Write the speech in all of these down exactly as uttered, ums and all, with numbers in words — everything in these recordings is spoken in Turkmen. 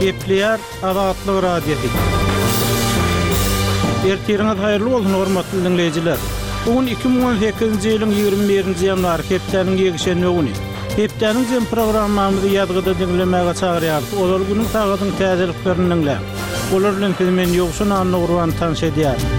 Gepleýär Azatlyk Radiosy. Ertiriňiz haýyrly bolsun, hormatly diňleýjiler. Bu gün iki müň on sekizinji ýylyň ýigrimi birinji ýanwary, hepdäniň ýekşenbe güni. Hepdäniň jem programmamyzy ýazgyda diňlemäge çagyrýarys. Ozal günüň sagadyň täzeliklerini diňläň. Olar bilen sizi men Ýowşan Annagurban tanyş edýärin.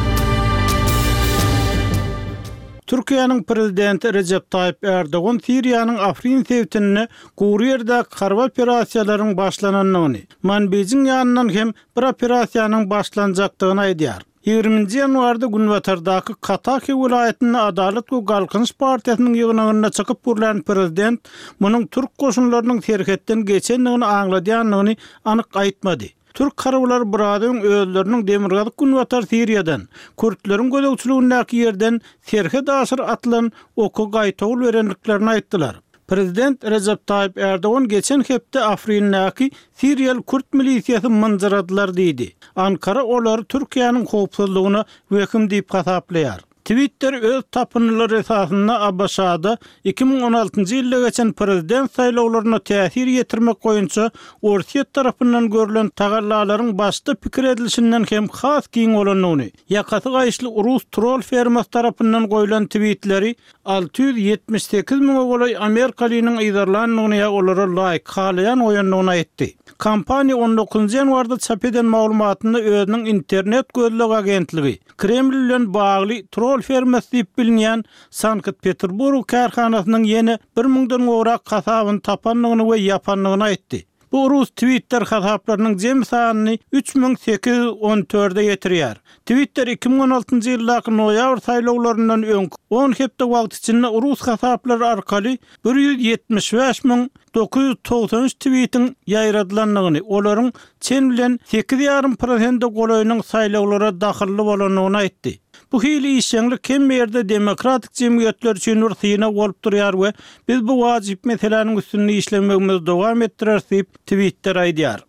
Türkiýäniň prezidenti Rejep Taýyp Erdogan Siriýanyň Afrin sebitinde gury ýerdäki harby operasiýalaryň başlanandygyny, Manbijiň ýanyndan hem bir operasiýanyň başlanjakdygyny aýdýar. Ýigriminji ýanwarda günbatardaky Kataki welaýatynda Adalat we Galkynyş partiýasynyň ýygnagynda çykyp gürlän prezident munuň türk goşunlarynyň serhetden geçendigini aňladýandygyny anyk aýtmady. Türk harbylary biraz öň özleriniň demirgazyk günbatar Siriýadan, kürtleriň gözegçiligindäki ýerden serhet aşyr atylan oky gaýtawul berendiklerini aýtdylar. Prezident Rejep Taýyp Erdogan geçen hepde Afrindäki Siriýaly kürt milisiýasy mynjyradylar diýdi. Ankara olary Türkiýäniň howpsuzlygyna wehim diýip hasaplaýar. Twitter öz tapyndylary esasynda A B Ş-da iki müň on altynjy ýylda geçen prezident saýlawlaryna täsir ýetirmek boýunça Orsýet tarapyndan görülen tagallalaryň başda pikir edilişinden hem has giň bolandygyny, ýakasy gaýyşly rus troll fermasy tarapyndan goýlan tweetleri alty ýüz ýetmiş sekiz müňe golaý Amerikalynyň yzarlandygyny ýa olara laýk halaýan goýandygyny aýtdy. Kompaniýa on dokuzynjy ýanwarda çap eden maglumatynda özüniň internet gözleg agentligi Kreml bilen bagly troll fermasy diýip bilinýän Sankt-Peterburg kärhanasynyň ýene bir müňden gowrak hasabyny tapandygyny we ýapandygyny aýtdy. Bu rus Twitter hasaplarynyň jem sanyny üç müň sekiz ýüz on dörde ýetirýär. Twitter iki müň on altynjy ýyldaky noýabr saýlawlaryndan öňki on hepde wagt içinde rus hasaplary arkaly bir ýüz ýetmiş bäş müň dokuz ýüz togsan üç tweetiň ýaýradylandygyny, olaryň çen bilen sekiz ýarym prosente golaýynyň saýlawlara dahylly bolandygyny aýtdy. Bu hili işjeňlik hemme ýerde demokratik jemgyýetler üçin bir synag bolup durýar we biz bu wajyp meseläniň üstünde işlemegimizi dowam etdireris diýip Twitter aýdýar.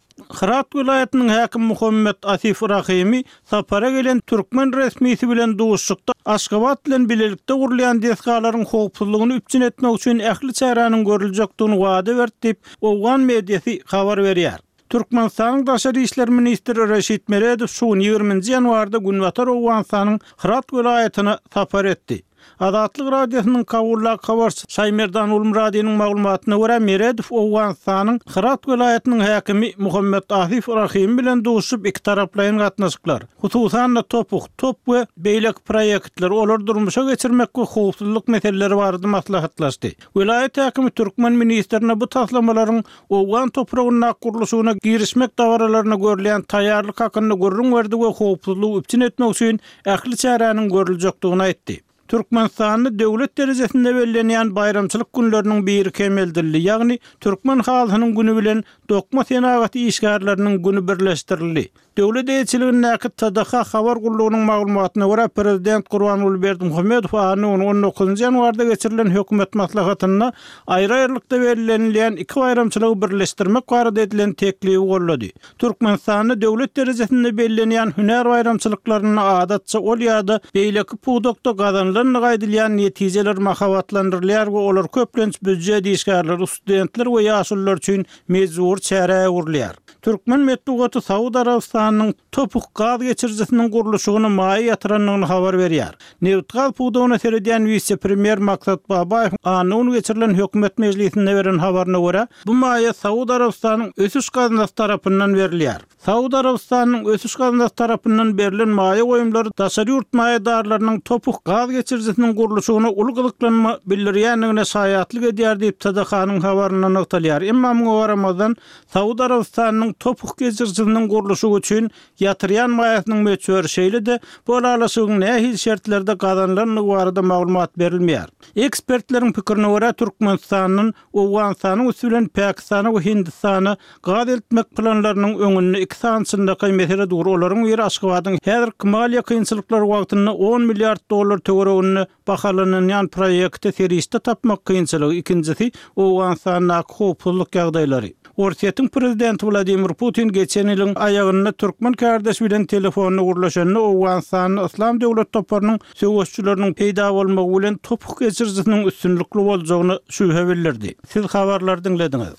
Hyrat welaýatynyň häkimi Muhammet Asif Rahimi sapara gelen türkmen resmisi bilen duşuşykda Aşgabat bilen bilelikde gurulýan desgalaryň howpsuzlygyny üpjün etmek üçin ähli çäräniň görüljekdigini wada berdi diýip, Owgan mediasy habar berýär. Türkmenistanyň Daşary işler ministri Reşit Meredow şu gün ýigriminji ýanwarda Günbatar Owganystanyň Hyrat welaýatyna sapar etdi. Azatlyk Radiosynyň Kabuldaky habarçysy Şaýmerdan Ulmyradynyň maglumatyna görä, Meredow Owganystanyň Hyrat welaýatynyň häkimi Muhammet Asif Rahimi bilen duşuşyp iki taraplaýyn gatnaşyklar, hususan-da TOPH, TOP we beýleki proýektler, olary durmuşa geçirmek we howpsuzlyk meseleleri barada maslahatlaşdy. Welaýat häkimi türkmen ministrine bu taslamalaryň Owgan topragyndaky gurluşygyna girişmek dabaralaryna görülýän taýýarlyk hakynda gürrüň berdi we howpsuzlygy üpjün etmek üçin ähli çäräniň görüljekdigini aýtdy. Türkmenistanda döwlet derejesinde bellenýän baýramçylyk günleriniň biri kemeldildi, ýagny Türkmen halysynyň güni bilen dokma senagaty işgärleriniň güni birleşdirildi. Döwlet eýeçiligindäki T D H habar gullugynyň maglumatyna görä, prezident Gurbanguly Berdimuhamedow anna güni on dokuzynjy ýanwarda geçirilen hökümet maslahatynda aýry-aýrylykda bellenilýän iki baýramçylygy birleşdirmek barada edilen teklibi goldady. Türkmenistanda döwlet derejesinde bellenýän hünär baýramçylyklarynda adatça ol ýa-da beýleki pudakda gazanylandygy aýdylýan netijeler mahabatlandyrylýar we olar köplenç býujet işgärleri, studentler we ýaşulular üçin mejbury çärä öwrülýär. Türkmen metbugaty Saud Arabystanynyň TOPH gaz geçirijisiniň gurluşygyna maýa ýatyrandygyny habar berýär. Nebitgaz pudagyna seredýän wise-premýer Maksat Babaýew anna güni geçirilen hökümet mejlisinde beren habaryna görä, bu maýa Saud Arabystanyň ösüş gaznasy tarapyndan berilýär. Saud Arabystanynyň ösüş gaznasy tarapyndan berlen maýa goýumlary daşary ýurt maýadarlarynyň TOPH gaz geçirijisiniň gurluşygyna uly gyzyklanma bildirýändigine şaýatlyk edýär diýip T D H-nyň habarynda nygtalýar. Emma muňa garamazdan Saud Arabystanynyň TOPH geçirijisiniň gurluşygy üçin ýatyrýan maýasynyň möçberi şeýle-de bu ylalaşygyň nähili şertlerde gazanylandygy barada maglumat berilmeýär. Ekspertleriň pikirine görä, Türkmenistandan Owganystanyň üsti bilen Pakistana we Hindistana gaz eltmek planlarynyň öňünde iki sany çynlakaý mesele dur. Olaryň biri Aşgabadyň häzirki maliýe kynçylyklary wagtynda on milliard dollar töwereginde bahalanylýan proýekte serişde tapmak kynçylygy, ikinjisi Owganystandaky howpsuzlyk ýagdaýlary. Orsýetiň prezidenti Wladimir Putin geçen ýylyň aýagynda türkmen kardeşi bilen telefonda gürleşende Owganystanda Yslam döwlet toparynyň söweşçileriniň peýda bolmagy bilen TOPH geçirijisiniň üstünlikli boljagyna şübhe bildirdi. Siz habarlary diňlediňiz.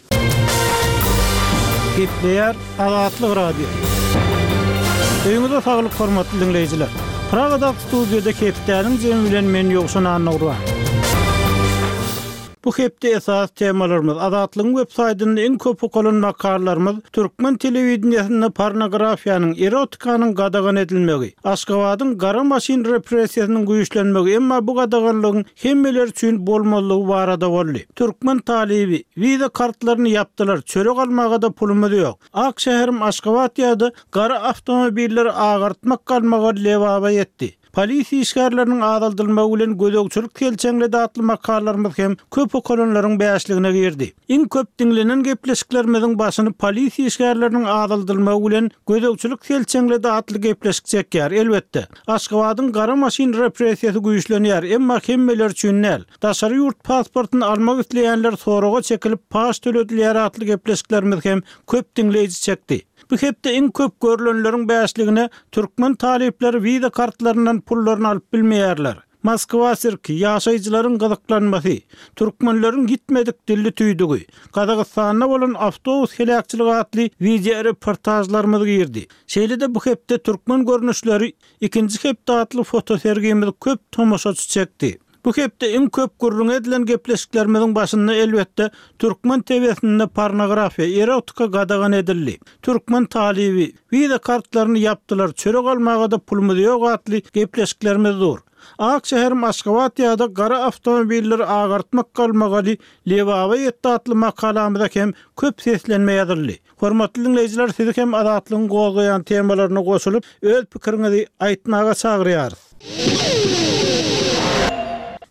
Gepleýär Azatlyk Radiosy. Öýüňize saglyk hormatly diňleýjiler. Pragadaky studiýada hepdäniň jemi bilen men Ýowşan Annagurban. Bu hepde esas temalarymyz Azatlygyň web saýtynda iň köp okalan makalalarymyz türkmen telewideniýesinde pornografiýanyň, erotikanyň gadagan edilmegi, Aşgabadyň gara maşyn repressiýasynyň güýçlenmegi, emma bu gadaganlygyň hemmeler üçin bolmalygy barada boldy. Türkmen talyby wiza kartlaryny ýapdylar, çörek almaga-da pulumyz ýok. Ak şäherim Aşgabat ýa-da gara awtomobilleri agartmak galmagy Lebaba ýetdi. Polisiýa işgärleriniň azaldylmagy bilen gözegçilik selçeňledi atly makalalarymyz hem köp okalanlaryň bäşligine girdi. Iň köp diňlenen gepleşiklerimiziň başyny polisiýa işgärleriniň azaldylmagy bilen gözegçilik selçeňledi atly gepleşik çekýär. Elbetde, Aşgabadyň gara maşyn repressiýasy güýçlenýär, emma hemmeler üçin däl. Daşary ýurt pasportyny almak isleýänler soraga çekilip paç töledilýär atly gepleşiklerimiz hem köp diňleýji çekdi. Bu hepde iň köp görülenleriň bäşligine türkmen talyplary wiza kartlaryndan pullaryny alyp bilmeýärler. Moskwa sirki, ýaşaýjylaryň gyzyklanmasy, türkmenleriň gitmedik dilli tüýdügi, Gazagystanda bolan awtobus heläkçiligi atly wideo reportajlarymyz girdi. Şeýle-de bu hepde türkmen görnüşleri ikinji hepde atly fotosergimiz köp tomaşaçy çekdi. Bu hepde iň köp gürrüň edilen gepleşiklerimiziň başynda elbetde türkmen T V-sinde pornografiýa, erotika gadagan edildi. Türkmen talyby wiza kartlaryny ýapdylar, çörek almaga-da pulumyz ýok atly gepleşiklerimiz dur. Ak şäherim Aşgabat ýa-da gara awtomobilleri agartmak galmagy Lebaba ýetdi atly makalamyza hem köp seslenme ýazyldy. Hormatly diňleýjiler, sizi hem Azatlygyň gozgaýan temalaryna goşulyp, öz pikiriňizi aýtmaga çagyrýarys.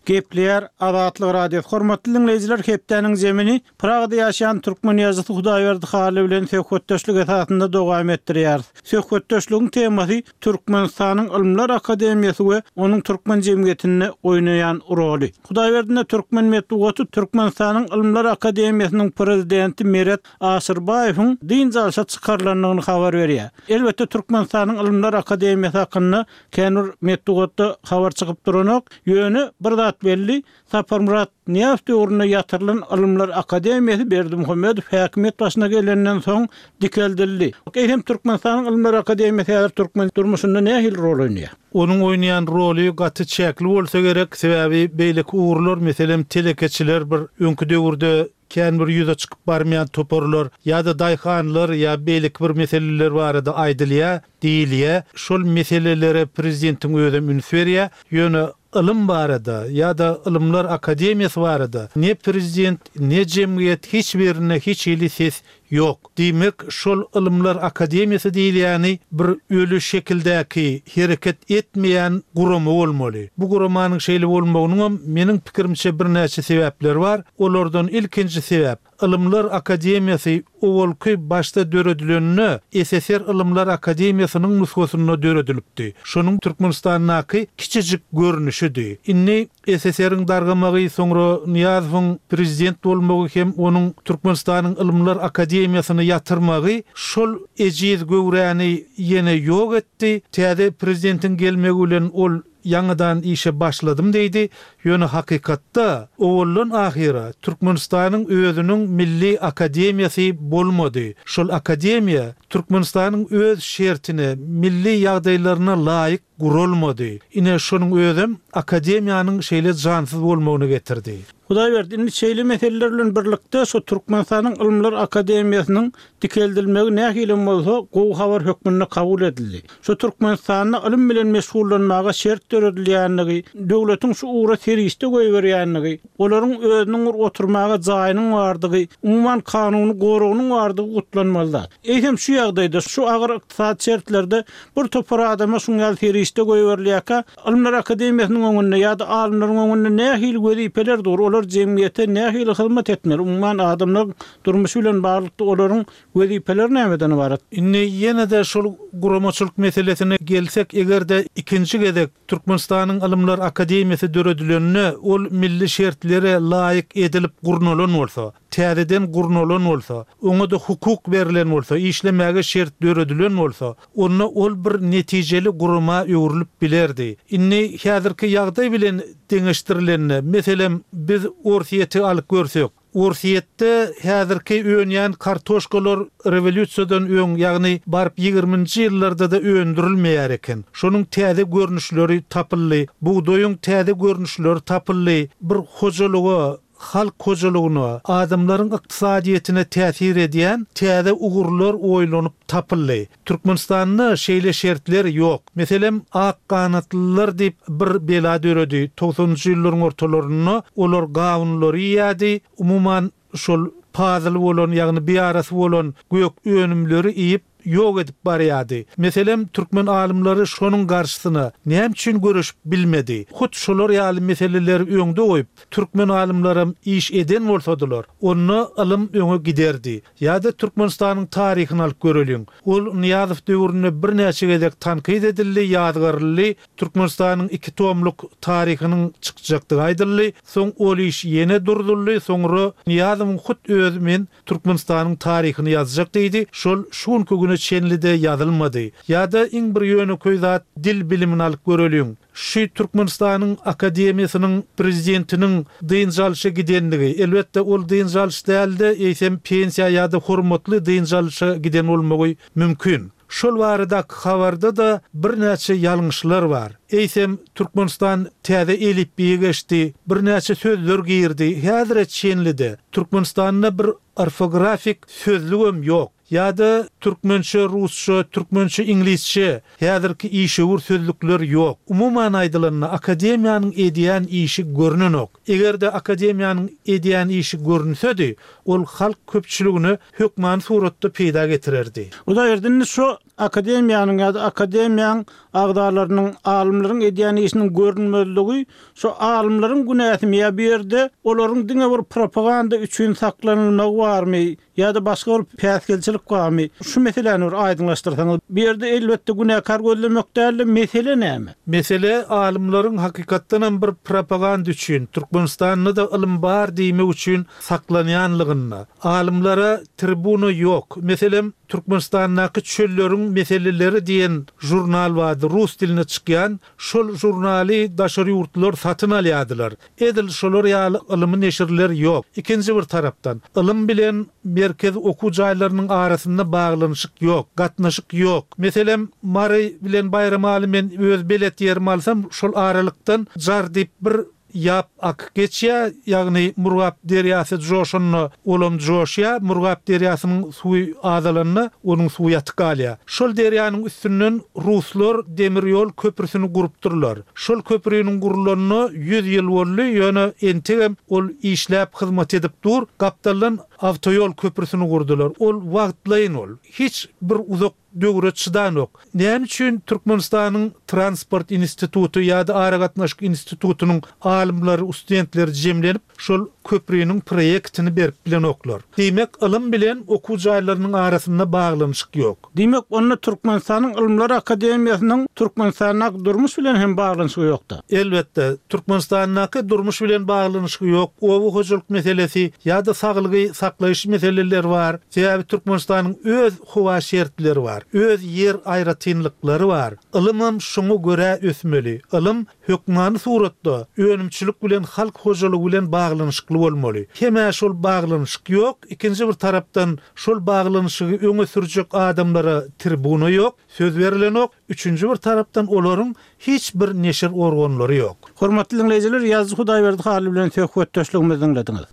Gepleýär Azatlyk Radiosy. Hormatly diňleýjiler, hepdäniň zemini Pragada ýaşaýan türkmen ýazyjysy Hudaýberdi Hally bilen söhbetdeşlik esasynda dowam etdirýäris. Söhbetdeşligiň temasy Türkmenistanyň Ylymlar Akademiýasy we onuň türkmen jemgyýetinde oýnaýan roly. Hudaýberdine türkmen metbugaty Türkmenistanyň Ylymlar Akademiýasynyň prezidenti Meret Aşyrbaýewiň dynç alşa çykarylandygyny habar berýär. Elbetde Türkmenistanyň Ylymlar Akademiýasy hakynda känbir metbugatda habar çykyp duranok. Ýöne bir zat belli, Saparmyrat Nyýazow döwründe ýatyrylan Ylymlar Akademiýasy Berdimuhamedow häkimiýet başyna gelenden soň dikeldildi. Eýsem Türkmenistanyň Ylymlar Akademiýasy häzir türkmen durmuşynda nähili rol oýnaýar? Onuň oýnaýan roly gaty çäkli bolsa gerek, sebäbi beýleki ugurlar, meselem telekeçiler bir öňki döwürde kän bir ýüze çykyp barmaýan toparlar ýa-da daýhanlar ýa beýleki bir meseleler barada aýdylýar, diýilýär. Şol meselelere prezidentiň özem üns berýär. Ýöne ylym barada ýa-da Ylymlar Akademiýasy barada ne prezident, ne jemgyýet hiç birine hiç hili ses ýok. Diýmek, şol Ylymlar Akademiýasy diýilýäni bir öli şekildäki hereket etmeýän gurama bolmaly. Bu guramanyň şeýle bolmagynyň meniň pikirimçe birnäçe sebäpleri bar. Olardan ilkinji sebäp Ylymlar Akademiýasy owalky başda döredilenine S S R Ylymlar Akademiýasynyň nusgasynda döredilipdi. Şonuň Türkmenistandaky kiçijik görnüşidi. Indi S S R-iň dargamagy, soňra Nyýazowyň prezident bolmagy hem onuň Türkmenistanyň Ylymlar Akademiýasyny ýatyrmagy şol ejiz göwräni ýene ýok etdi. Täze prezidentiň gelmegi bilen ol ýaňadan işe başladym diýdi. Ýöne hakykatda owaldan ahyra Türkmenistanyň özüniň Milli Akademiýasy bolmady. Şol akademiýa Türkmenistanyň öz şertine, milli ýagdaýlaryna laýyk guralmady. Ine şonuň özem akademiýanyň şeýle jansyz bolmagyny getirdi. Hudaýberdi, indi şeýle meseleler bilen birlikde şu Türkmenistanyň Ylymlar Akademiýasynyň dikeldilmegi nähili bolsa gowy habar hökmünde kabul edildi. Şu Türkmenistanda ylym bilen meşgullanmaga şert döredilýänligi, döwletiň şu ugra serişde goýberýänligi, olaryň özüniň bir oturmaga jaýynyň bardygy, umuman kanuny goragynyň bardygy gutlanmalydy. Eýsem şu ýagdaýda şu agyr ykdysady şertlerde bir topar adama şuň ýaly serişde goýberilýärkä, Ylymlar Akademiýasynyň öňünde ýa-da alymlaryň öňünde nähili wezipeler dur, olar jemgyýete nähili hyzmat etmeli, umuman adamlar durmuşy bilen baglylykda olaryň wezipeleri nämeden ybarat? Indi ýene-de şol guramaçylyk meselesine gelsek, eger-de ikinji gezek Türkmenistanyň Ylymlar Akademiýasy döredileninde ol milli şertlere laýyk edilip gurnalan bolsa, täzeden gurnalan bolsa, oňa da hukuk berlen bolsa, işlemäge şert döredilen bolsa, onda ol bir netijeli gurama öwrülip bilerdi. Indi häzirki ýagdaý bilen deňeşdirilende, meselem biz Orsýeti alyp görsek, Orsýetde häzirki önýän kartoşkalar rewolýusiýadan öň, ýagny baryp ýigriminji ýyllarda-da öndürilmeýär eken. Şonuň täze görnüşleri tapyldy, bugdaýyň täze görnüşleri tapyldy. Bir hojalyga, halk hojalygyna, adamlaryň ykdysadyýetine täsir edýän täze ugurlar oýlanyp tapyldy. Türkmenistanda şeýle şertler ýok. Meselem, ak ganatlylar diýip bir bela döredi. Togsanynjy ýyllaryň ortalarynda olar gawunlary iýýärdi. Umuman şol pazyly bolan, ýagny biýarasy bolan gök önümleri iýip ýok edip barýardy. Meselem, türkmen alymlary şonuň garşysyna näme üçin göreşip bilmedi? Hut şolar ýaly meseleleri öňde goýup, türkmen alymlaram iş eden bolsadylar, onda ylym öňe giderdi. Ýa-da Türkmenistanyň taryhyny alyp göreliň. Ol Nyýazow döwründe birnäçe gezek tankyt edildi, ýazgaryldy. Türkmenistanyň iki tomluk taryhynyň çykjakdygy aýdyldy. Soň ol iş ýene durduldy. Soňra Nyýazowyň hut özi men Türkmenistanyň taryhyny ýazjak diýdi. Şol şu günki güne çenli-de ýazylmady. Ýa-da iň bir ýönekeý zat dil bilimini alyp göreliň. Şu Türkmenistanyň Akademiýasynyň prezidentiniň dynç alşa gidenligi, elbetde ol dynç alyş däldi, eýsem pensiýa ýa-da hormatly dynç alşa giden bolmagy mümkin. Şol baradaky habarda-da birnäçe ýalňyşlar bar. Eýsem Türkmenistan täze elipbiýe geçdi, birnäçe sözler girdi. Häzire çenli-de Türkmenistanda bir orfografik sözlügem ýok. Ýa-da türkmençe, rusça, türkmençe, iňlisçe häzirki işewür sözlükler ýok. Umuman aýdylanda akademiýanyň edýän işi görnenok. Eger-de akademiýanyň edýän işi görünsedi, ol halk köpçüligine hökmany suratda peýda getirerdi. Hudaýberdi, indi şu akademiýanyň ýa-da akademiýanyň agzalarynyň, alymlaryň edýän işiniň görünmezligi şu alymlaryň günäsimi ýa bu ýerde olaryň diňe bir propaganda üçin saklanylmagy barmy ýa-da başga bir päsgelçilik barmy? Şu meseläni bir aýdyňlaşdyrsaňyz. Bu ýerde elbetde günäkär gözlemek däldi, mesele näme? Mesele alymlaryň hakykatdanam bir propaganda üçin, Türkmenistanda-da ylym bar diýmek üçin saklanýanlygynda. Alymlara tribuna ýok. Meselem, Türkmenistandaky çölleriň meseleleri diýen žurnal bardy, rus diline çykýan. Şol žurnaly daşary ýurtlar satyn alýardylar. Edil şolar ýaly ylymy neşirler ýok. Ikinji bir tarapdan, ylym bilen merkez okuw jaýlarynyň arasynda baglanyşyk ýok, gatnaşyk ýok. Meselem, Mary bilen Baýramaly men öz belet ýerimi alsam, şol aralykdan jar diýip bir ýap akyp geçýär, ýagny Murgap derýasy joşanda olam joşýar, Murgap derýasynyň suwy azalanda onuň suwy ýatyp galýar. Şol derýanyň üstünden ruslar demir ýol köprüsini gurupdyrlar. Şol köprüniň gurulanyna ýüz ýyl boldy, ýöne entegem ol işläp hyzmat edip dur. Gapdaldan awtoýol köprüsini gurdular. Ol wagtlaýyn ol. Hiç bir uzak döwre çydanok. Näme üçin Türkmenistanyň Transport instituty ýa-da Aragatnaşyk institutynyň alymlary, studentleri jemlenip şol köprüniň proýektini berip bilenoklar? Diýmek, ylym bilen okuw jaýlarynyň arasynda baglanyşyk ýok. Diýmek, onda Türkmenistanyň Ylymlar Akademiýasynyň Türkmenistandaky durmuş bilen hem baglanyşygy ýokdy. Elbetde, Türkmenistandaky durmuş bilen baglanyşygy ýok. Oba hojalyk meselesi ýa-da saglygy saklaýyş meseleleri bar. Sebäbi Türkmenistanyň öz howa şertleri bar, öz ýer aýratynlyklary bar. Ylymam şoňa görä ösmeli. Ylym hökmany suratda önümçilik bilen halk hojalygy bilen baglanyşykly bolmaly. Hemä şol baglanyşyk ýok. Ikinji bir tarapdan şol baglanyşygy öňe sürjek adamlara tribuna ýok, söz berilenok. Üçünji bir tarapdan olaryň hiç bir neşir organlary ýok. Hormatly dinleýjiler, Ýazyjy Hudaýberdi Hally bilen söhbetdeşligimizi diňlediňiz.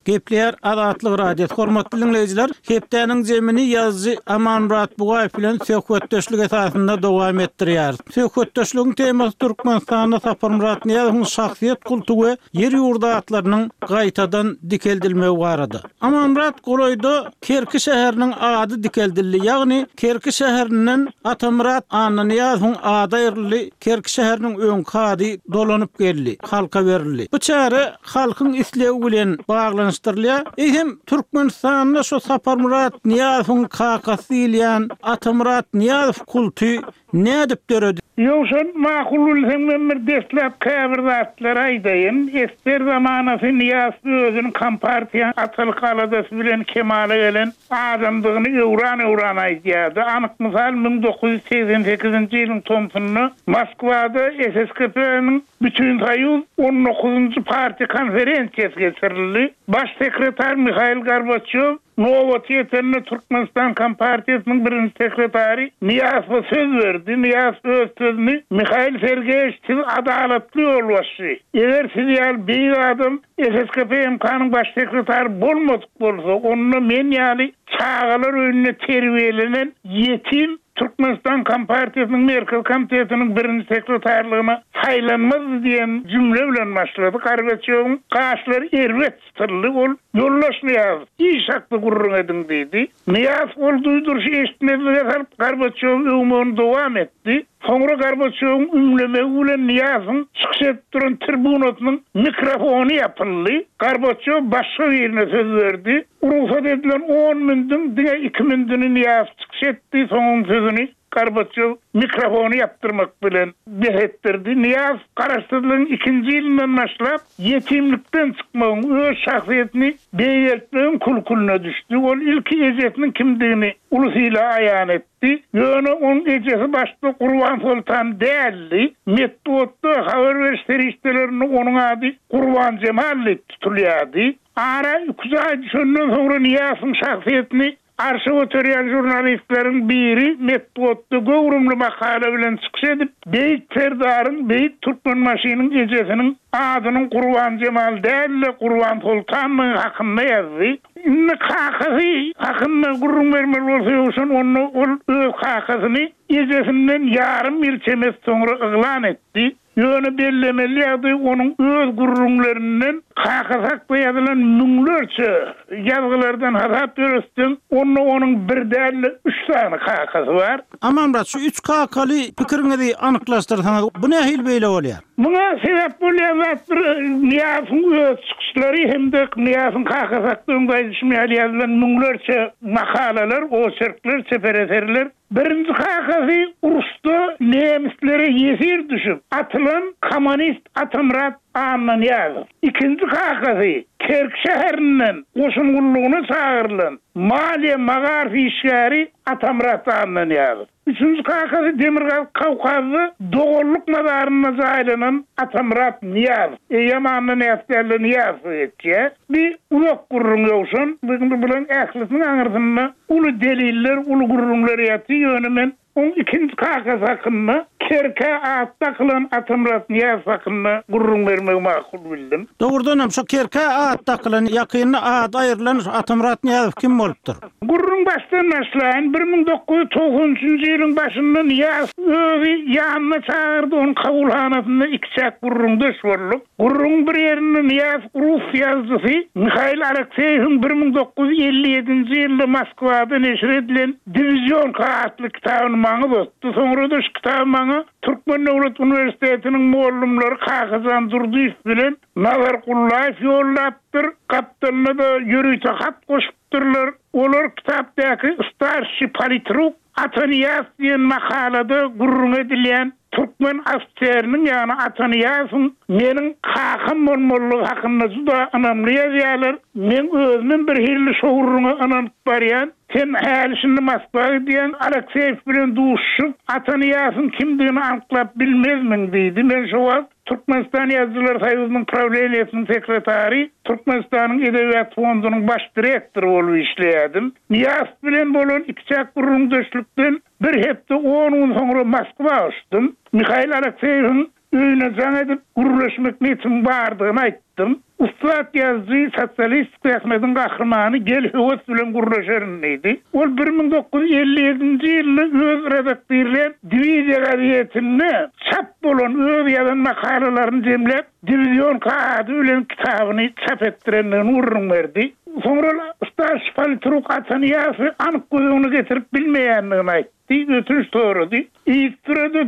Gepleýär Azatlyk Radiosy. Hormatly dinleýjiler, hepdäniň jemini ýazyjy Amanmyrat Bugaýew bilen söhbetdeşlik esasynda dowam etdirýär. Söhbetdeşligiň temasy Türkmenistanda Saparmyrat Nyýazowyň şahsyýet kulty we ýer ýurdy atlarynyň gaýtadan dikeldilmegi barada. Amanmyrat golaýda Kerki şäheriniň ady dikeldildi, ýagny Kerki şäherinden Atamyrat Annanyýazowyň ady aýryldy, Kerki şäheriniň öňki ady dolanyp geldi, halka berildi. Bu çäre halkyň islegi bilen baglanyşdyrylýar. Eýsem, Türkmenistanda şu Saparmyrat Nyýazowyň kakasy diýilýän Atamyrat Nyýazow kulty nädip döredi? Ýogsa makul bilseň men bir deslap käbir zatlar aýdaýyn. Ester zamanasy Nyýazow özüniň kompartiýa atalyk aladasy bilen kemala gelen adamdygyny öwran-öwran aýdýardy. Anyk mysal müň dokuz ýüz segsen sekizinji ýylyň tomsunda Moskwada S S K P-niň Bütinsoýuz on dokuzynjy partiýa konferensiýasy geçirildi. Baş sekretar Mihail Gorbaçýow nobaty ýetende Türkmenistan Kompartiýasynyň birinji sekretary Nyýazowa söz berdi. Nyýazow öz sözüni Mihail Sergeýewiç siz adalatly ýolbaşçy. Eger siz ýaly beýik adam S S K P M K-nyň baş sekretary bolmadyk bolsa, onda men ýaly çagalar öýünde terbiýelenen ýetim Türkmenistan Kompartiýasynyň Merkezi Komitetiniň birinji sekretarlygyna saýlanmazdy diýen jümle bilen başlady. Gorbaçýowyň gaşlary erbet çytyldy. Ol ýoldaş Nyýazow, iş hakda gürrüň ediň diýdi. Nyýazow ol duýduryşy eşitmezlige salyp Gorbaçýowy öwmegini dowam etdi. Soňra Gorbaçýowyň ümlemegi bilen Nyýazowyň çykyş edip duran tribunasynyň mikrofony ýapyldy. Gorbaçýow başga birine söz berdi. Rugsat edilen on mündüň diňe iki mündüni Nyýazow çykyş etdi. Soňuň sözüni Gorbaçýow mikrofony ýapdyrmak bilen bes etdirdi. Nyýazow garaşsyzlygyň ikinji ýylyndan başlap ýetimlikden çykmagyň, öz şahsyýetini beýgeltmegiň kulkuluna düşdi. Ol ilki ejesiniň kimdigini ulusuyla aýan etdi. Ýöne onuň ejesi başda Gurban Soltan däldi. Metbugatda habar beriş serişdelerinde onuň ady Gurban Jemal diýip tutulýardy. Ara iki aý düşenden soňra Nyýazowyň şahsyýetini arşa göterýän žurnalistleriň biri metbugatda göwrümli makala bilen çykyş edip, Beýik Serdaryň, Beýik Türkmenbaşynyň ejesiniň adynyň Gurban Jemal däl-de Gurban Soltandygy hakynda ýazdy. Indi kakasy hakynda gürrüň bermeli bolsa ýowşan, onda ol öz kakasyny ejesinden ýarym ýyl çemesi soňra yglan etdi. Ýöne bellemeli ýagdaý onuň öz gürrüňlerinden kakasy hakda ýazylan müňlerçe ýazgylardan hasap ýöretseň, onda onuň bir däl-de üç sany kakasy bar. Amanmyrat, şu üç kakaly pikiriňizi anyklaşdyrsaňyz, bu nähili beýle bolýar? Muňa sebäp bolýan zat bir Nyýazowyň öz çykyşlary hem-de Nyýazowyň kakasy hakda öňde aýdyşym ýaly ýazylan müňlerçe makalalar, oçerkler, çeper eserler. Birinji kakasy uruşda nemislere ýesir düşüp atylan kommunist Atamyrat Annanyýazow. Ikinji kakasy Kerk şäherinden goşun gullugyna çagyrylan maliýe magaryf işgäri Atamyrat Annanyýazow. Üçünji kakasy Demirgazyk Kawkazda doganlyk mazarynda jaýlanan Atamyrat Nyýazow. Eýýäm Annanyýazow däl-de Nyýazow geçýär. Bir uzak gürrüň ýowşan, bularyň ählisiniň aňyrsynda uly deliller, uly gürrüňler ýatyr. Ýöne men oň ikinji kakasy hakynda Kerkä at dakylan Atamyrat Nyýazow hakynda gürrüň bermegi makul bildim. Dogrudan hem şu Kerkä at dakylan, ýakynda ady aýrylan Atamyrat Nyýazow kim bolupdyr? Gürrüň başdan başlaýyn. bir müň dokuz ýüz togsan üçünji ýylyň başynda Nyýazow özi ýanyna çagyrdy, onuň kabulhanasynda iki çäk gürrüňdeş bolduk. Gürrüň bir ýerinde Nyýazow rus ýazyjysy Mihail Alekseýewiň bir müň dokuz ýüz elli ýedinji ýylda Moskwada neşir edilen Diwizionka atly kitabyny maňa uzatdy. Soňra da şu kitaby maňa Türkmen Döwlet Uniwersitetiniň mugallymlary Kakajan Durdyýew bilen Nazar Gullaýew ýollapdyr. Gapdalynda-da ýörite hat goşupdyrlar. Olar kitapdaky starşi politruk Atanyýaz diýen makalada gürrüň edilýän türkmen ofiseriniň, ýagny Atanyýazyň meniň kakam bolmalygy hakynda juda ynamly ýazýarlar. Men özümem bir hilli şo gürrüňe ynanyp barýan. Sen häli şindi Moskwa gidýän Alekseýew bilen duşup Atanyýazyň kimdigini anyklap bilmezmiň diýdi. Men şo wagt Türkmenistan Ýazyjylar Soýuzynyň prawleniýesiniň sekretary, Türkmenistanyň Edebiýat fondunyň baş direktory bolup işleýärdim. Nyýazow bilen bolan iki çäk gürrüňdeşlikden bir hepde on gün soňra Moskwa uçdum. Mihail Alekseýewiň öýüne jaň edip gürleşmek niýetim bardygyny aýtdym. Ussat ýazyjy sosialistik zähmetiň gahrymany gel höwes bilen gürleşerin diýdi. Ol bir müň dokuz ýüz elli ýedinji ýylda öz redaktirleýän Diwiziýa gazetinde çap bolan öz ýazan makalalaryny jemläp Diwizionka ady bilen kitabyny çap etdirendigini gürrüň berdi. Soňra starşi politruk Atanyýazowy anyk göz öňüne getirip bilmeýändigini aýtdy. Ötünç sorady. Iýip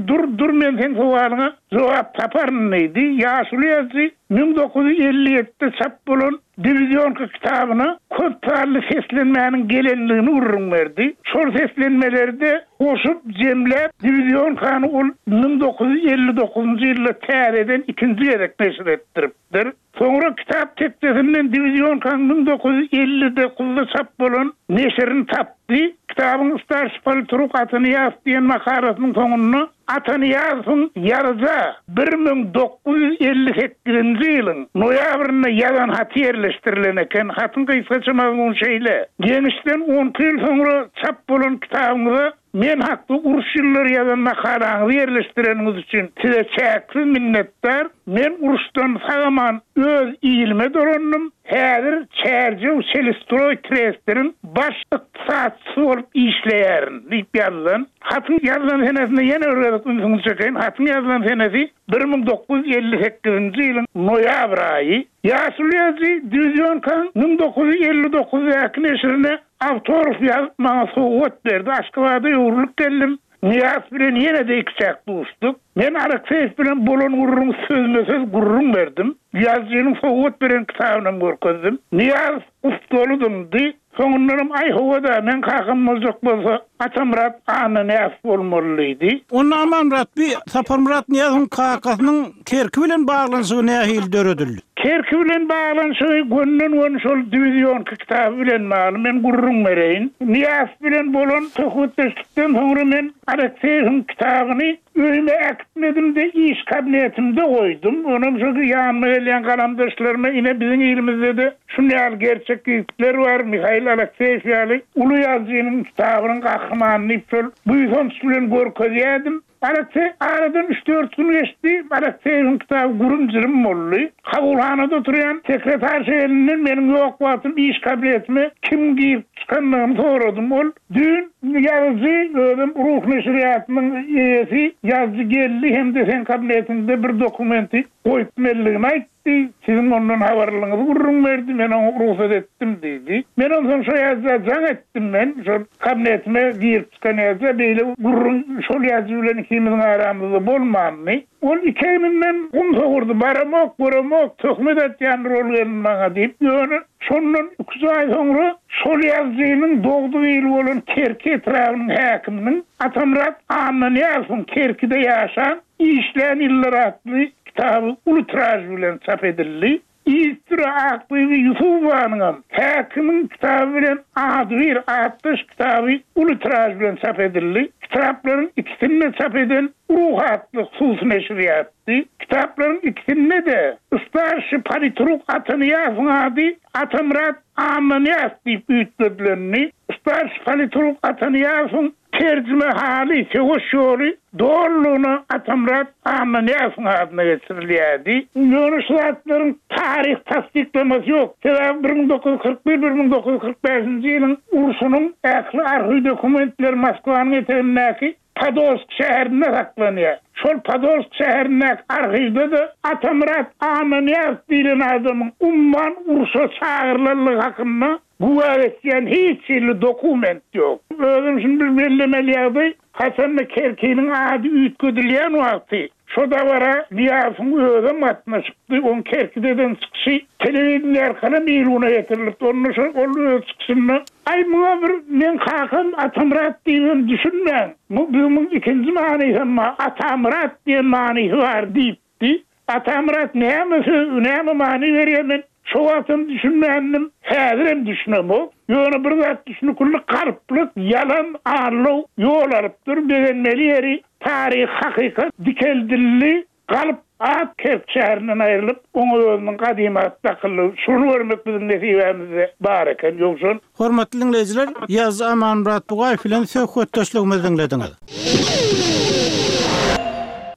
dur dur men seň sowalyňa jogap taparyn diýdi. Ýaşuly ýazyjy müň dokuz ýüz elli ýedide çap bolan Diwizionka kitabyna köp sanly seslenmäniň gelendigini gürrüň berdi. Şol seslenmeleri de goşup jemläp Diwizionkany ol müň dokuz ýüz elli dokuzynjy ýylda täzeden ikinji gezek neşir etdiripdir. Soňra kitap tekjesinden Diwizionkanyň müň dokuz ýüz elli dokuzda çap bolan neşirini tapdym. aýdypdy. Kitabyň Starşi politruk Atanyýazow diýen makalasynyň soňunda Atanyýazowyň ýazyja bir müň dokuz ýüz elli sekizinji ýylyň noýabrynda ýazan haty ýerleşdirilen eken. Hatyň gysgaça mazmuny şeýle, Ýeňişden on iki ýyl soňra çap bolan kitabyňyza men hakda uruş ýyllary ýazan makalaňyzy ýerleşdireniňiz üçin size çäksiz minnetdar. Men uruşdan sag-aman öz ilime dolandym. Häzir Çärjew Çelistroý trestiniň baş ykdysatçysy bolup işleýärin diýip ýazylan. Hatyň ýazylan senesine ýene bir gezek ünsüňizi çekeýin. Hatyň ýazylan senesi bir müň dokuz ýüz elli sekizinji ýylyň noýabr aýy. Ýaşuly ýazyjy Diwizionkaň müň dokuz ýüz elli dokuzdaky neşirine awtograf ýazyp maňa sowgat berdi. Aşgabada öwrülip geldim. Nyýaz bilen ýene-de ikiçäk duşduk. Men Alekseýew bilen bolan gürrüňi sözme-söz gürrüň berdim. Ýazyjynyň sowgat beren kitabynam görkezdim. Nyýaz gussaly dymdy. Soňundanam, Aý, hawa-da, meň kakam boljak bolsa, Atamyrat Annanyýazow bolmaly diýdi. Onda Amanmyrat bi Saparmyrat Nyýazowyň kakasynyň Kerki bilen baglanyşygy nähili döredildi? Kerki bilen baglanyşygy gönden-göni şol diwizionki kitaby bilen bagly. Men gürrüň bereýin. Nyýazow bilen bolan söhbetdeşlikden soňra men Alekseýewiň kitabyny öýüme äkitmedim-de, iş kabinetimde goýdum. Onam şo ýanyma gelýän galamdaşlaryma, ine, biziň ilimizde-de şuny ýaly gerçek ýigitler bar, Mihail Alekseýew ýaly uly ýazyjynyň kitabynyň gahrymany diýip şol buýsanç bilen görkezýärdim. Alekseý aradan üç-dört gün geçdi, Alekseýewiň kitaby gürüm-jürüm boldy. Kabulhanada oturýan sekretarşa elinden meniň ýok wagtym iş kabinetime kim girip çykandygyny soradym. Ol düýn ýazyjy, özem Ruh neşirýatynyň eýesi ýazyjy geldi hem-de seň kabinetiňde bir dokumenti goýup melligini aýtdy, siziň ondan habarlygyňyzy gürrüň berdi, men oňa rugsat etdim diýdi. Men onsoň şo ýazyja jaň etdim men, şol kabinetime girip çykan ýazyja, beýle gürrüň şol ýazyjy bilen ikimiziň aramyzda bolmandy. Ol iki egninden gum sowurdy, baramok, göremok, töhmet atýandyr ol gelin maňa diýip, ýöne şondan iki-üç aý soňra şol ýazyjynyň dogduk ili bolan Kerki etrabynyň häkiminiň Atamyrat Annanyýazowyň Kerkide ýaşan, işlän ýyllar atly kitaby uly tiraž bilen çap edildi. Yzysüre Akbibi Ýusupowanyňam häkimiň kitaby bilen adybir atdaş kitaby uly tiraž bilen çap edildi. Kitaplaryň ikisini-de çap eden Ruh atly hususy neşirýatdy. Kitaplaryň ikisinde-de starşi politruk Atanyýazowyň ady Atamyrat Annanyýazow diýip üýtgedilendi. Starşi politruk Atanyýazowyň terjimehaly, söweş ýoly dolulygyna Atamyrat Annanyýazowyň adyna geçirilýärdi. Ýöne şu zatlaryň taryh tassyklamasy ýok. Sebäbi bir müň dokuz ýüz kyrk bir, bir müň dokuz ýüz kyrk bäşinji ýylyň urşunyň ähli arhiw dokumentleri Moskwanyň etegindäki Podolsk şäherinde saklanýar. Şol Podolsk şäherindäki arhiwde-de Atamyrat Annanyýazow diýlen adamyň umman urşa çagyrylanlygy hakynda güwä geçýän hiç hili dokument ýok. Özüm şuny bir bellemeli ýagdaý, haçanda Kerkiniň ady üýtgedilýän wagty şo dabara Nyýazowyň özem gatnaşypdy. Oň Kerkide eden çykyşy telewideniýe arkaly il-güne getirilipdi. Onda şol ol öz çykyşynda, Aý, muňa bir meň kakam Atamyrat diýibem düşünmäň. Bu muň ikinji manysam bar, Atamyrat diýen manysy bar diýipdi. Atamyrat näme söz, näme many berýär men şo wagtam düşünmändim, häzirem düşünemok. Ýöne bir zat düşünükli, galplyk, ýalan, aldaw ýol alypdyr. Begenmeli ýeri taryhy hakykat dikeldildi. Galp at Kerk şäherinden aýrylyp, oňa özüniň gadymy ady dakyldy. Şuny görmek biziň nesibämizde bar eken, Ýowşan. Hormatly diňleýjiler, ýazyjy Amanmyrat Bugaýew bilen söhbetdeşligimizi diňlediňiz.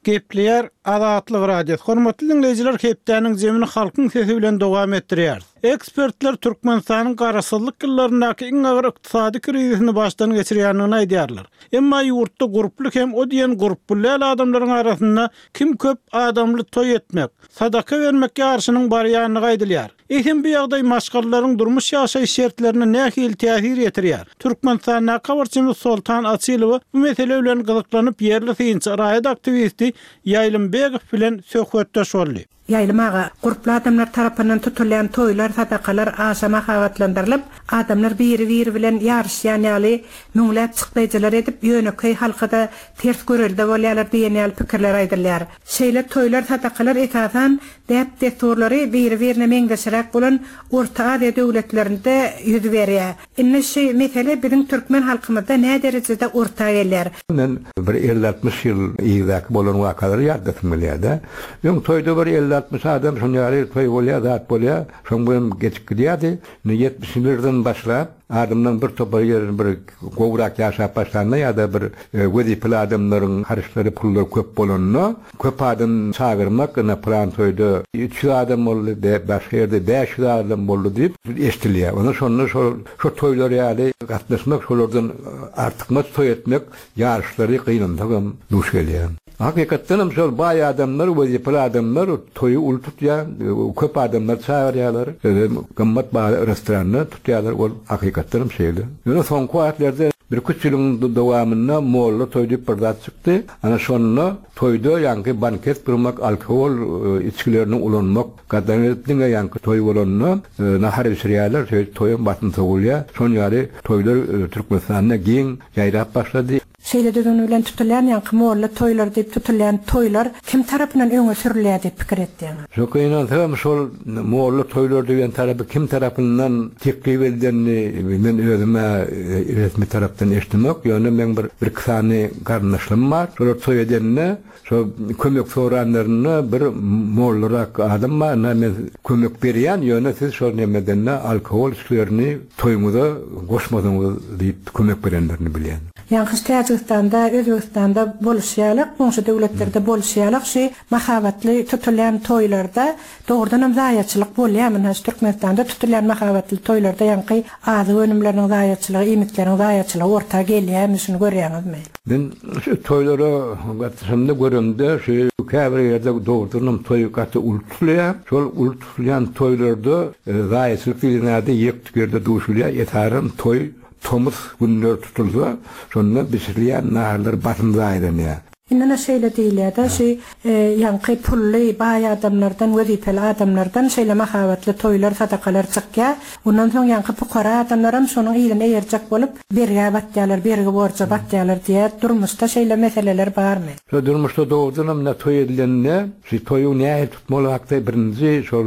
Gepleýär Azatlyk Radiosy. Hormatly diňleýjiler, hepdäniň jemini Halkyň sesi bilen dowam etdirýäris. Ekspertler Türkmenistanyň garaşsyzlyk ýyllaryndaky iň agyr ykdysady krizisini başdan geçirýändigini aýdýarlar. Emma ýurtda gurply hem o diýen gurply däl adamlaryň arasynda kim köp adamly toý etmek, sadaka bermek ýaryşynyň barýandygy aýdylýar. Eýsem bu ýagdaý maşgalalaryň durmuş ýaşaýyş şertlerine nähili täsir ýetirýär? Türkmenistandaky habarçymyz Soltan Açylowa bu mesele bilen gyzyklanyp ýerli synçy, raýat aktiwisti Ýaýlym Begow bilen söhbetdeş boldy. Ýaýlym aga, gurply adamlar tarapyndan tutulýan toýlar, sadakalar aşa mahabatlandyrylyp, adamlar biri-biri bilen ýaryşýan ýaly müňläp çykdaýjylar edip, ýönekeý halka-da ters görelde bolýarlar diýen ýaly pikirler aýdylýar. Şeýle toýlar, sadakalar esasan däp-dessurlary biri-birine meňzeşräk bolan Orta Aziýa döwletlerinde ýüz berýär. Indi şu mesele biziň türkmen halkymyzda näderejede orta gelýär? Men bir elli-altmyş ýyl yzdaky bolan wakalary ýatlasym gelýär-de. Öň toýda bir elli-altmyş adam şoň ýaly toý bolýar, zat bolýar, şoň bilen geçip gidýärdi. Indi ýetmişinjilerden başlap, adamlaryň bir topary ýerini bir gowrak ýaşap başlanda ýa-da bir wezipeli adamlaryň harçlary, pullary köp bolanda, köp adam çagyrmak, ine pylan toýda üç ýüz adam boldy, başga ýerde bäş ýüz adam boldy diýip eşidilýär. Onda şonda şol şo toýlar ýaly gatnaşmak, şolardan artykmaç toý etmek ýaryşlary gynansagam duş gelýär. Hakykatdan hem şol baý adamlar, wezipeli adamlar toýy uly tutýar, köp adamlar çagyrýarlar, gymmat bahaly restoranda tutýarlar, ol hakykatdan hem şeýle. Ýöne soňky wagtlarda birküç ýylyň dowamynda molla toý diýip bir zat çykdy. Ana şonda toýda ýaňky banket gurmak, alkogol içgilerini ulanmak gadagan edilip, diňe ýaňky toý bolanda nahar bişirýärler, şeýdip toýam basym sowulýar. Şon ýaly toýlar Türkmenistanda giň ýaýrap başlady. Şeýle düzgün bilen tutulýan ýaňky molla toýlary diýip tutulýan toýlar kim tarapyndan öňe sürülýär diýip pikir etýäňiz? Şo gynansagam şol molla toýlary diýen tarapy kim tarapyndan teklip edilenini men özüm-ä resmi tarapdan eşidemok. Ýöne meň bir birki sany garyndaşlarym bar. Şolar toý edende şo kömek soranlarynda bir mollarak adam bar, ynha men kömek berýän, ýöne siz şol nemeden-de alkogol içgilerini toýuňyza goşmasaňyz diýip kömek berenlerini bilýän. Ýaňky Täjigistanda, Özbegistanda boluşy ýaly, goňşy döwletlerde boluşy ýaly şu mahabatly tutulýan toýlarda dogrudanam zaýaçylyk bolýarmy? Ynha şu Türkmenistanda tutulýan mahabatly toýlarda ýaňky azyk önümleriniň zaýaçylygy, iýmitleriň zaýaçylygy orta gelýärmi, şuny görýäňizmi? Men şu toýlara gatnaşamda göremde şu käbir ýerde dogrudanam toý gaty uly tutulýar. Şol uly tutulýan toýlarda zaýaçylyk diýlen zady ýek ýerde duşulýar. Esasan toý tomus günleri tutulsa, şonda bişirilýän naharlar basym zaýalanýar. Indi şeýle diýilýär-de, şu ýaňky pully baý adamlardan, wezipeli adamlardan şeýle mahabatly toýlar, sadakalar çykýar. Ondan soň ýaňky pukara adamlaram şonuň yzyna eýerjek bolup, bergä batýarlar, bergi borja batýarlar diýär. Durmuşda şeýle meseleler barmy? Şo durmuşda dogrudanam ne toý edilende, şu toýuň nähili tutmaly hakda birinji şol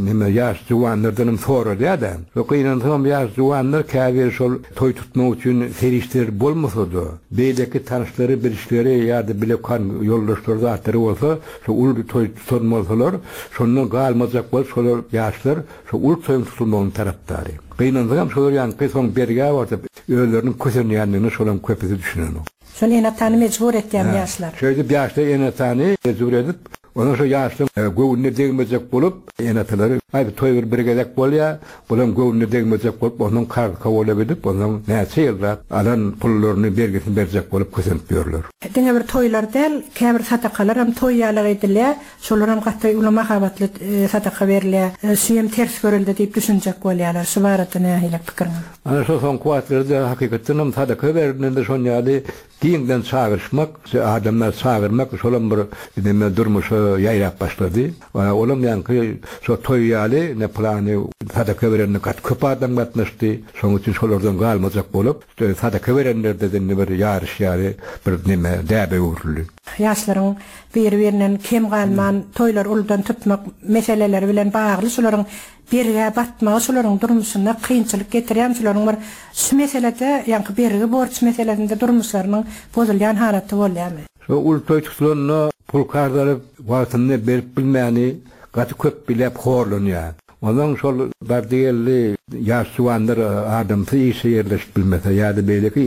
neme ýaş juwanlardanam soralýar-da. Şo gynansagam ýaş juwanlar käbir şol toý tutmak üçin serişdeler bolmasa-da, beýleki tanyşlary, bilişleri ýa-da bile kan ýoldaşlary zatlary bolsa, şo uly toý tutan bolsalar, şondan galmajak bolup şolar ýaşlar şo uly toýuň tutulmagynyň tarapdary. Gynansagam şolar ýaňky soň bergä batyp, özleriniň kösenýändigini şolaryň köpüsi düşünenok. Şol ene-atany mejbur etýän ýaşlar. Şeýdip ýaşlar ene-atany mejbur edip, onuň şo ýaşlaryň göwnüne degmejek bolup, ene-atalary aý bu toý bir bir gezek bolýar, bulam göwnüne degmejek bolup, onuň karz kabul edip, onuň näçe ýyllap alan pullaryny bergisini berjek bolup kösenip ýörler. Diňe bir toýlar däl, käbir sadakalar hem toý ýalyk edilýär. Şolar hem gaty uly mahabatly sadaka berilýär. Şu hem ters görüldi diýip düşünjek bolýarlar. Şu barada nähili pikiriňiz? Ana şo soňky wagtlarda hakykatdan hem sadaka berilende şon ýaly giňden çagyryşmak, adamlar çagyrmak şolam bir neme durmuşa ýaýrap başlady. Olam ýaňky şo toý ýaly ne plany sadaka berende gaty köp adam gatnaşdy. Şonuň üçin şolardan galmajak bolup, sadaka berenlerde de bir ýaryş ýaly bir neme däbe öwrüldi. Ýaşlaryň biri-birinden kem galman toýlar uludan tutmak meseleleri bilen bagly şolaryň bergä batmagy şolaryň durmuşyna kynçylyk getirýän şolaryň bir şu meselede ýaňky bergi borç meselesinde durmuşlarynyň bozulýan halaty bolýarmy? Şo uly toý tutulanda pul karz alyp wagtynda berip bilmäni gaty köp bilep horlanýar. Ondan şol bardy geldi ýaş juwanlar adamsy işe ýerleşip bilmese ýa-da beýleki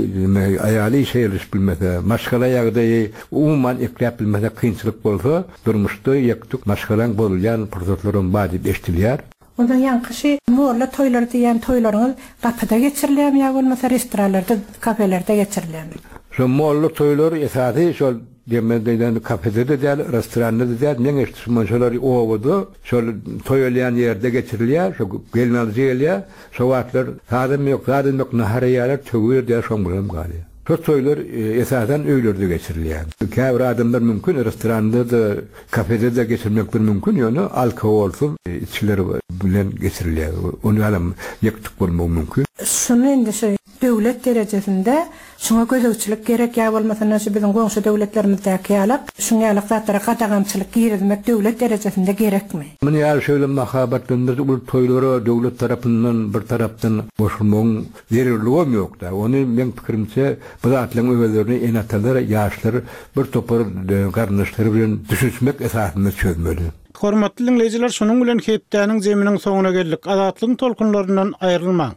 aýaly işe ýerleşip bilmese, maşgala ýagdaýy umuman ekläp bilmese kynçylyk bolsa, durmuşda ýektuk maşgalaň bozulýan pursatlaram bar diýip eşidilýär. Ondan ýaňky şu molla toýlary diýen toýlaryňyz gapyda geçirilýärmi ýa bolmasa restoranlarda, kafelerde geçirilýärmi? Şo molla toýlary esasy şol diýmeden kafede de däl, restoranda da däl, meň eşitişim şolar obada, şol toý elýän ýerde geçirilýär, şo gelin alyjy gelýär, şo wagtlar sadam ýok, zadam ýok, nahar iýýärler, töwir diýär, şoň bilen galýar. Şo toýlar esasan öýlerde geçirilýär. Käbir adamlar mümkin restoranda-da, kafede-de geçirmekleri mümkin, ýöne alkogolsyz içgiler bilen geçirilýär. Ony ýalam ýek-tük bolmagy mümkin. Şuny indi şu döwlet derejesinde şuňa gözegçilik gerek ýa bolmasanda şu biziň goňşy döwletlerimizdäki ýalak, şuň ýalak zatlara gadagançylyk girizmek döwlet derejesinde gerekmi? Muny ýaly şeýle mahabatlandyryjy uly toýlara döwlet tarapyndan bir tarapdan goşulmagyň zerurlygam ýok-da. Ony meň pikirimçe bu zatlaryň özlerini ene-atalar, ýaşlar bir topar garyndaşlary bilen düşünişmek esasynda çözmeli. Hormatly diňleýjiler, şunuň bilen hepdäniň zeminiň soňuna geldik. Azatlygyň tolkunlaryndan aýrylmaň.